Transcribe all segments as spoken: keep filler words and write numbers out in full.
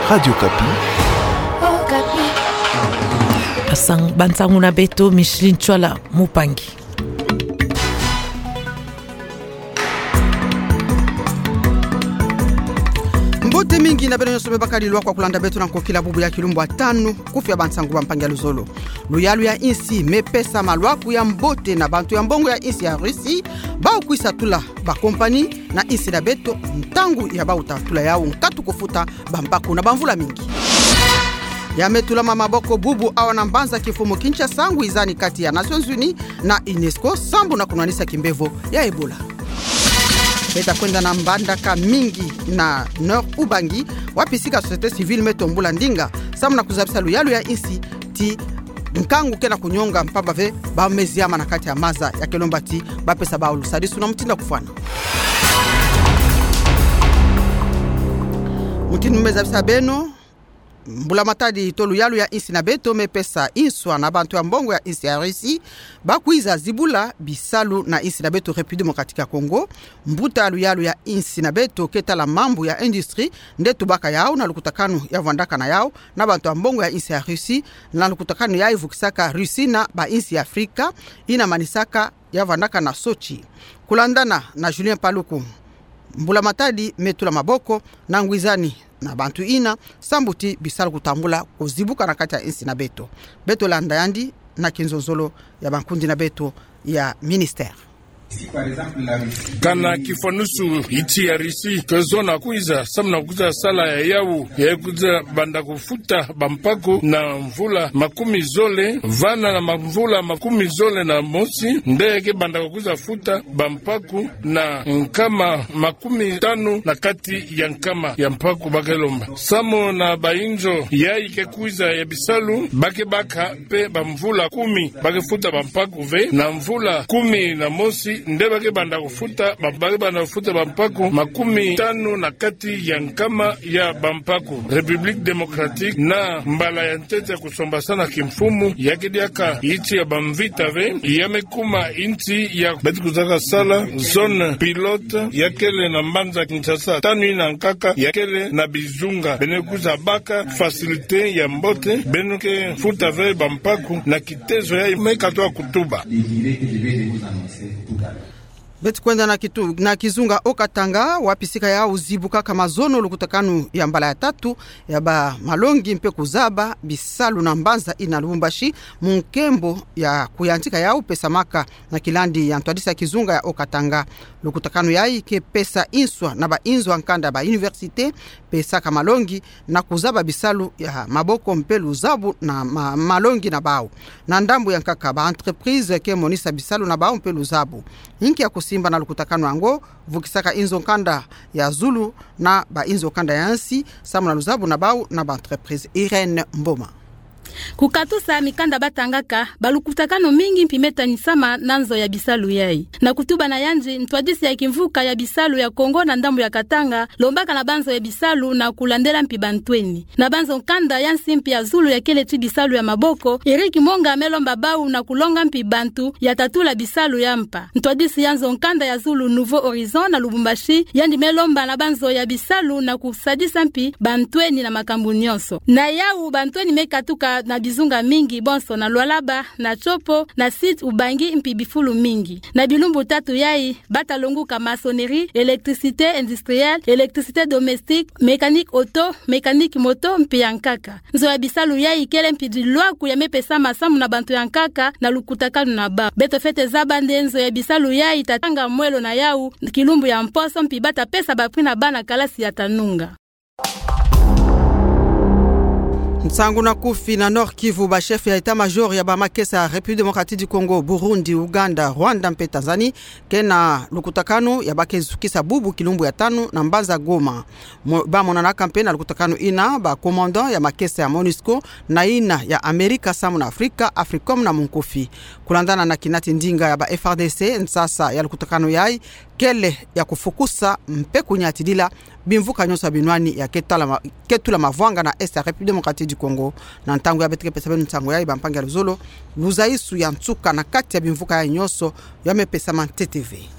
Radio Okapi. Okapi. Asang bansangu na beto, Micheline Tshuala Mupangi. Mbote mingi na beno nyonso me bakadi lwakwa kulanda beto na nkokila bubu ya kilumbu ya tanu, kufi ya bansangu bampangi ya luzolo. Luyalu ya insi me pesa malwaku ya mbote na bantu ya mbongo ya insi ya Russie, bau kwisa tula bakompani na insi na beto, ntangu ya bau ta tula yau nkatu kufuta bampaku na bamvula mingi. Ya me tulama maboko bubu awa na mbanza kimfumu Kinshasa, ngwizani kati ya Nations Unies na UNESCO, sambu na kunwanisa kimbevo ya Ebola. Beta kwenda na mbandaka mingi na Nord Ubangi, wapi sika société civile me tombula ndinga, sambu na kuzabisa luyalu ya insi ti nkangu ke na kunyonga mpamba ve bau me ziama na kati ya maza, ya ke lomba ti bapesa bau lusadisu na mutindu ya kufwana. Mutindu me zabisa beno, mbula matadi to luyalu ya insi na beto me pesa inswa na bantu ya mbongo ya insi ya Russie, ba kwiza zibula bisalu na insi na beto République Démocratique ya Congo. Mbuta luyalu ya insi na beto ke tala mambu ya industrie, nde tubaka yau na lukutakanu ya vwandaka na yau na bantu ya mbongo ya insi ya Russie, na lukutakanu yayi vukisaka Russie na bainsi ya Afrika, ina manisaka ya vwandaka na Sotchi. Kulandana na Julien Paluku, mbula matadi me tula maboko na ngwizani na bantu ina, sambu ti bisalu kutambula kuzibuka na kati ya insi na beto. Beto landa yandi na kinzonzolo ya bankundi na beto ya ministère. Kana kifwanusu, insi ya Russie ke zona kwiza, sambu na kwiza sala ya yau, ya kwiza banda kufuta bampaku na mvula makumi zole, vana na ma-, mvula makumi zole na mosi, nde ke banda kwiza futa bampaku na nkama makumi tanu na kati ya nkama ya mpaku ba ke lomba. Sambu na bainzo yayi ke kwiza ya bisalu, ba ke baka mpe bamvula kumi ba ke futa bampaku ve, na mvula kumi na mosi nde ba ke banda kufuta, ba, ba ke banda kufuta bampaku makumi tanu na kati ya nkama ya bampaku. République Démocratique na mbala ya ntete ya kusombasana kimfumu, ya ke diaka insi ya bamvita ve, ya me kuma insi ya beto kuzaka sala zone pilote, ya kele na mbanza Kinshasa, tanu ina nkaka, ya kele na bizunga beno kwiza baka facilité ya mbote, beno ke futa ve bampaku na kitezo yayi me katoa kutuba. Beto kwenda na kitu-, na kizunga Haut-Katanga, wapi sika yau zibukaka mazono lukutakanu ya mbala ya tatu ya bamalongi mpe kuzaba bisalu na mbanza ina Lubumbashi, mu nkembo ya kuyantika yau pesamaka na kilandi ya ntwadisi ya kizunga ya Haut-Katanga. Lukutakanu yayi ke pesa inswa na bainzo ya nkanda, ba université, pesaka malongi na kuzaba bisalu ya maboko mpe luzabu na ma-, malongi na bau. Na ndambu ya nkaka, ba entreprise ke monisa bisalu na bau mpe luzabu. Inki ya kusimba na lukutakanu yango? Vukisaka inzo ya nkanda ya zulu na bainzo ya nkanda ya nsi, samu na luzabu na bau na ba entreprise. Irène Mboma. Kukatusa mikanda batangaka, balukutakanu mingi mpi me tanisama na nzo ya bisalu yayi. Na kutuba na yandi, ntwadisi ya kimvuka ya bisalu ya Kongo na ndambu ya Katanga lombaka na banzo ya bisalu na kulandela mpi bantweni. Na banzo ya nkanda ya nsi mpi ya zulu ya kele ti bisalu ya maboko, Eric Monga me lomba bau na kulonga mpi bantu ya tatula bisalu ya mpa. Ntwadisi ya nzo ya nkanda ya zulu Nouveau Horizon na Lubumbashi, yandi me lomba na banzo ya bisalu na kusadisa mpi bantweni na makambu nyonso. Na yau bantweni me katuka na bizunga mingi, bonso na Lualaba, na Tshopo, na Sud Ubangi mpi bifulu mingi. Na bilumbu tatu yayi, bata longuka maçonnerie, électricité industrielle, électricité domestique, mécanique auto, mécanique moto mpe ya nkaka. Nzo ya bisalu yayi kele mpi dilwaku ya me pesama samu na bantu ya nkaka na lukutakanu na bau. Beto fwete zaba nde nzo ya bisalu yayi ta tanga mwelo na yau kilumbu ya mposo mpi bata pesa ba prix na bana kalasi ya ta nunga. Nsangu na kufi. Na Nord-Kivu, ba chef ya état-major ya bamakesa ya République Démocratique du Congo, Burundi, Ouganda, Rwanda mpe Tanzanie ke na lukutakanu ya ba ke zukisa bubu kilumbu ya tanu na mbanza Goma. Mo-, ba monanaka mpe na lukutakanu ina ba commandant ya makesa ya MONUSCO na ina ya Amerika samu na Afrika, Africom na Munkufi. Kulandana na kinati ndinga ya ba F A R D C, nsasa ya lukutakanu yayi kele ya kufukusa mpe kunyatidila bimvuka nyonso ya binwani ya ke tala ma-, ke tula mavwanga na Est ya République Démocratique du Congo. Na ntangu ya beto ke pesa beno nsangu yayi, bampangi ya luzolo, luzaisu ya nsuka na kati ya bimvuka yayi nyonso ya me pesama ntete ve.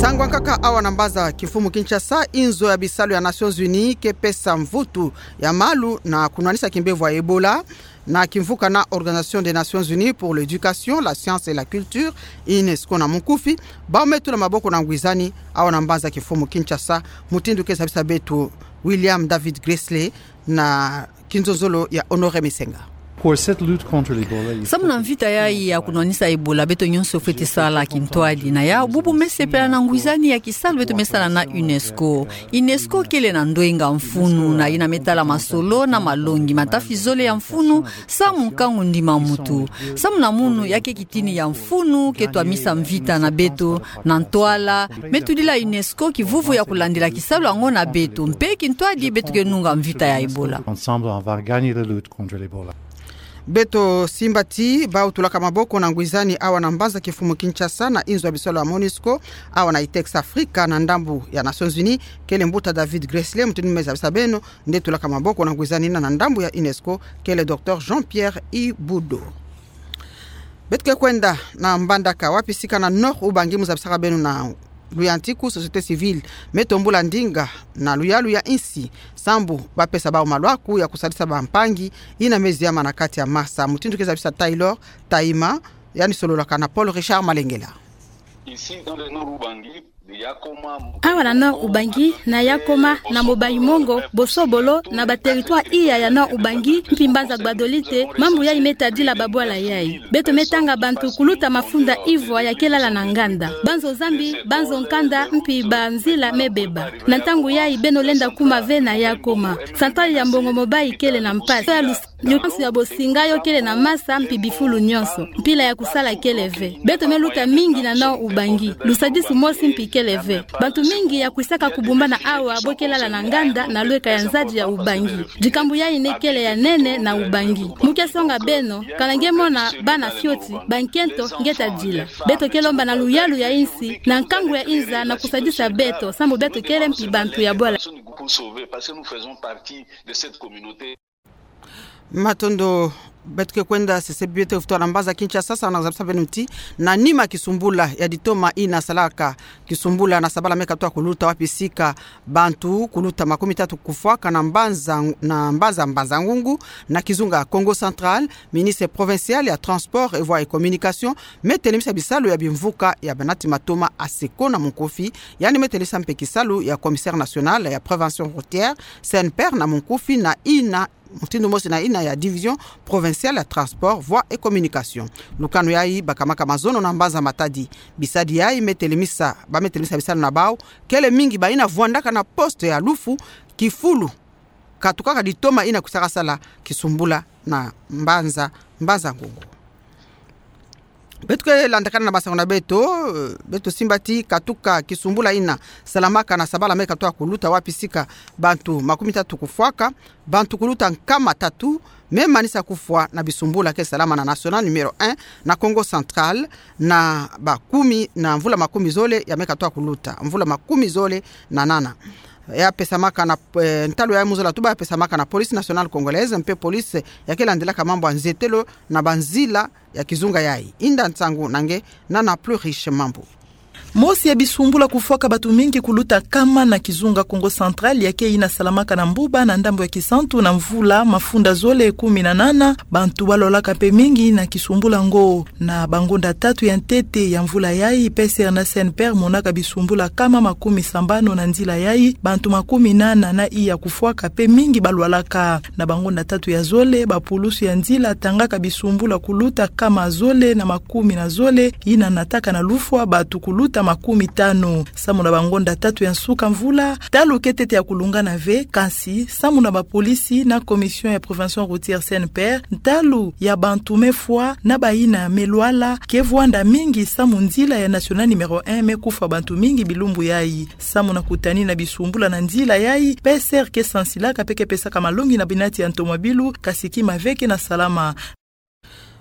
Ntangu ankaka awa na mbanza kimfumu Kinshasa, inzo ya bisalu ya Nations Unies ke pesa mvutu ya malu na kunwanisa kimbevo ya Ebola, na kimvuka na Organisation des Nations Unies pour l'Éducation, la Science et la Culture, UNESCO na munkufi, bawu me tula maboko na ngwizani awa na mbanza kimfumu Kinshasa, mutindu ke zabisa beto William David Gressley na kinzonzolo ya Honoré Misenga. Pour cette lutte contre l'Ebola, il faut... Samu na mvita yayi ya kunwanisa Ebola, beto nyonso fweti sala kintwadi. Na yawu bubu me sepela na ngwizani ya kisalu beto me sala na UNESCO. UNESCO kele na ndwenga mfunu na yina me tala masolo na malongi ma tafi zole ya mfunu samu nkangu ndima muntu. Samu na munu ya ke kitini ya mfunu ke twamisa mvita na beto, na ntwala me tudila UNESCO kivuvu ya kulandila kisalu yango na beto, mpe kintwadi beto ke nunga mvita ya Ebola. Ensemble, on va gagner la lutte contre l'Ebola. Beto simba ti bawu tulaka maboko na ngwizani awa na mbanza kimfumu Kinshasa na inzo ya bisalu ya MONUSCO, awa na Itex Africa na ndambu ya Nations Unies, kele mbuta David Gressley, mutindu me zabisa beno, nde tulaka maboko na ngwizani na, na ndambu ya UNESCO, kele Docteur Jean-Pierre Ibudo. Beto ke kwenda na Mbandaka, wapi sika na Nord-Ubangi, mu zabisaka beno na luyantiku, société civile me tombula ndinga na luyalu ya insi, sambu ba pesa bawu malwaku ya kusalisa bampangi yina me ziama na kati ya masa. Mutindu ke zabisa Taylor Taima, yandi sololaka na Paul Richard Malengela. Ici, dans le Nord-Ubangi, Awa na Nord-Ubangi, na Yakoma, na Mobayi-Mongo, Bosobolo, na ba territoire iya ya Nord-Ubangi, mpi mbanza Gbadolite, mambu yayi me tadila babwala yayi. Beto me tanga bantu kuluta mafunda ivwa ya ke lala na nganda. Banzo zambi, banzo nkanda, mpi banzila me beba. Na ntangu yayi beno lenda kuma ve na Yakoma. Centrale ya Mbongo Mobayi kele na mpasi. Lupansu ya bosinga yo kele na masa mpi bifulu nyonso. Mpila ya kusala kele ve. Beto me luta mingi na Nord-Ubangi. Lusadisu mosi mpi kele ve. Bantu mingi ya kwisaka kubumbana awa bo ke lala na nganda na lweka ya nzadi ya Ubangi. Dikambu yayi nde kele ya nene na Ubangi. Mu ke songa beno, kana nge mona bana fioti, bankento nge tadila. Beto ke lomba na luyalu ya insi, na nkangu ya inza na kusadisa beto, sambu beto kele mpi bantu ya bwala. Matondo. Beto ke kwenda sese beto futu na mbanza Kinshasa, na zabisa beno ti na nima kisumbula ya ditoma ina salaka kisumbula na sabala me katwa kuluta, wapi sika bantu kuluta makumi tatu kufwaka na mbanza, na mbanza Mbanza-Ngungu na kizunga Kongo Central, ministre provincial ya transport et voies et communication me telemisa bisalu ya bimvuka ya banati matoma ASECO na munkufi, yandi me telemisa mpe kisalu ya commissaire national ya prévention routière, CNPR na munkufi, na ina mutindu mosi na ina ya division provinciale ya transport, voies et communication. Lukanu yayi bakamaka mazono na mbanza Matadi. Bisadi yayi me telemisa, ba me telemisa bisalu na bawu, kele mingi bayina vwandaka na poste ya Lufu, kifulu katukaka ditoma ina kwisaka sala kisumbula na mbanza, Mbanza-Ngungu. Beto ke landakana na masangu na beto, eh, beto simba ti katuka kisumbula ina salamaka na sabala me katwa kuluta, wapi sika bantu makumi tatu kufwaka, bantu kuluta nkama tatu me manisa kufwa na bisumbula ke salama na national numéro un na Kongo Central, na ba kumi, na mvula makumi zole ya me katwa kuluta, mvula makumi zole na nana. Ya pesamaka na, eh, ntalu ya mu zola tuba ya pesamaka na Police Nationale Congolaise, mpe police ya ke landilaka mambu ya nzetelo na banzila ya kizunga yayi. Inda nsangu na nge Nana Plus Riche Mambu. Mosi ya bisumbula kufwaka bantu mingi kuluta nkama na kizunga Kongo Central ya ke ina salamaka na mbuba na ndambu ya Kisantu na mvula mafunda zole kumi na nana, bantu balwalaka mpe mingi na kisumbula ngo. Na bangonda tatu ya ntete ya mvula yayi, P C R na CNPR monaka bisumbula nkama makumi sambanu na nzila yayi, bantu makumi nana na iya kufwaka mpe mingi balwalaka. Na bangonda tatu ya zole, bapulusu ya nzila tangaka bisumbula kuluta nkama zole na makumi na zole, ina nataka na lufwa bantu kuluta makumi tanu. Samu na bangonda tatu ya nsuka mvula, ntalu ke ntete ya kulungana ve, kansi, samu na bapolisi na Commission ya Prévention Routière CNPR, ntalu ya bantu me fwa na bayina me lwala ke vwanda mingi, samu nzila ya National numéro un me kufa bantu mingi bilumbu yayi. Samu na kutani na bisumbula na nzila yayi, P C R ke sansilaka mpe ke pesaka malongi na binati ya ntomabilu, kansi kima ve ke na salama.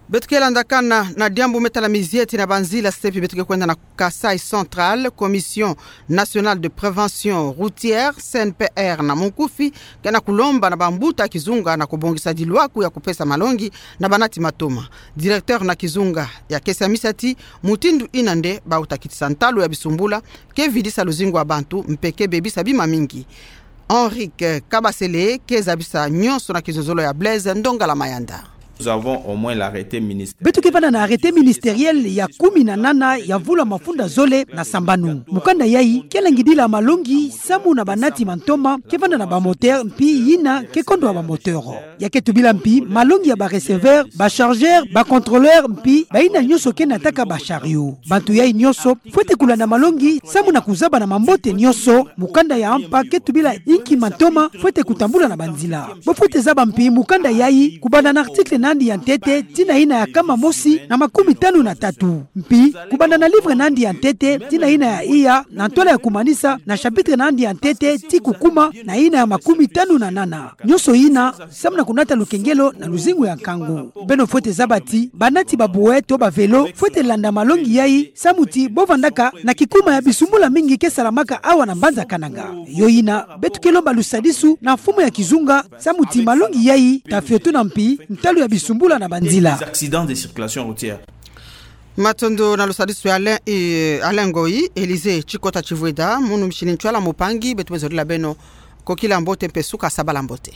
Beto ke landa kana na diambu me tala mizieti na banzila, se pi beto ke kwenda na Kasaï Central. Commission Nationale de Prévention Routière, C N P R na monkufi, ke na kulomba na bambuta kizunga na kubongisa dilwaku ya kupesa malongi na banati matoma. Directeur na kizunga ya kesa misamu ti mutindu ina nde ba uta kitisa ntalu ya bisumbula ke vidisa luzingu ya bantu mpe ke bebisa bima mingi. Henrique Kabasele ke zabisa nyonso na kizozolo ya Blaise Ndongala Mayanda. Nous avons au moins l'arrêté ministériel. Beto ke vanda na arrêté ministériel ya kumi na nana ya mvula mafunda zole na sambanu. Mukanda yayi ke langidila malongi samu na banati mantoma ke vanda na ba moteur mpi yina ke kondwa ba moteur. Ya ke tubila mpi malongi ya ba receveur, ba chargeur, ba contrôleur mpi bayina nyonso ke nataka ba chariot. Bantu yayi nyonso fwete kulanda malongi samu na kuzaba na mambote nyonso mukanda ya mpa ke tubila inki mantoma fwete kutambula na banzila. Bo fwete zaba mpi mukanda yayi kubanda na article na yandi ya ntete tii na yina ya kama mosi na makumitanu na tatu. Mpi kubanda na livre na yandi ya ntete tii na yina ya iya na ntwala ya kumanisa na chapitre na yandi ya ntete tii kukuma na yina ya makumitanu na nana. Nyonso yina samu na kunata lukengelo na luzingu ya nkangu. Beno fwete zaba ti banati ba brouette to ba vélo fwete landa malongi yayi samu ti bo vandaka na kikuma ya bisumbula mingi ke salamaka awa na mbanza Kananga. Yo yina beto ke lomba lusadisu na mfumu ya kizunga samu ti malongi yayi ta fiotuna mpi ntalu ya bisumbula na banzila. Des accidents de circulation routière. Matondo na lusadisu ya Alain, eh, Alain Ngoyi. Élisée Tshikota Tshivweda, munu misini ntwala mupangi, beto me zolila beno kokila mbote mpe suka sabala mbote.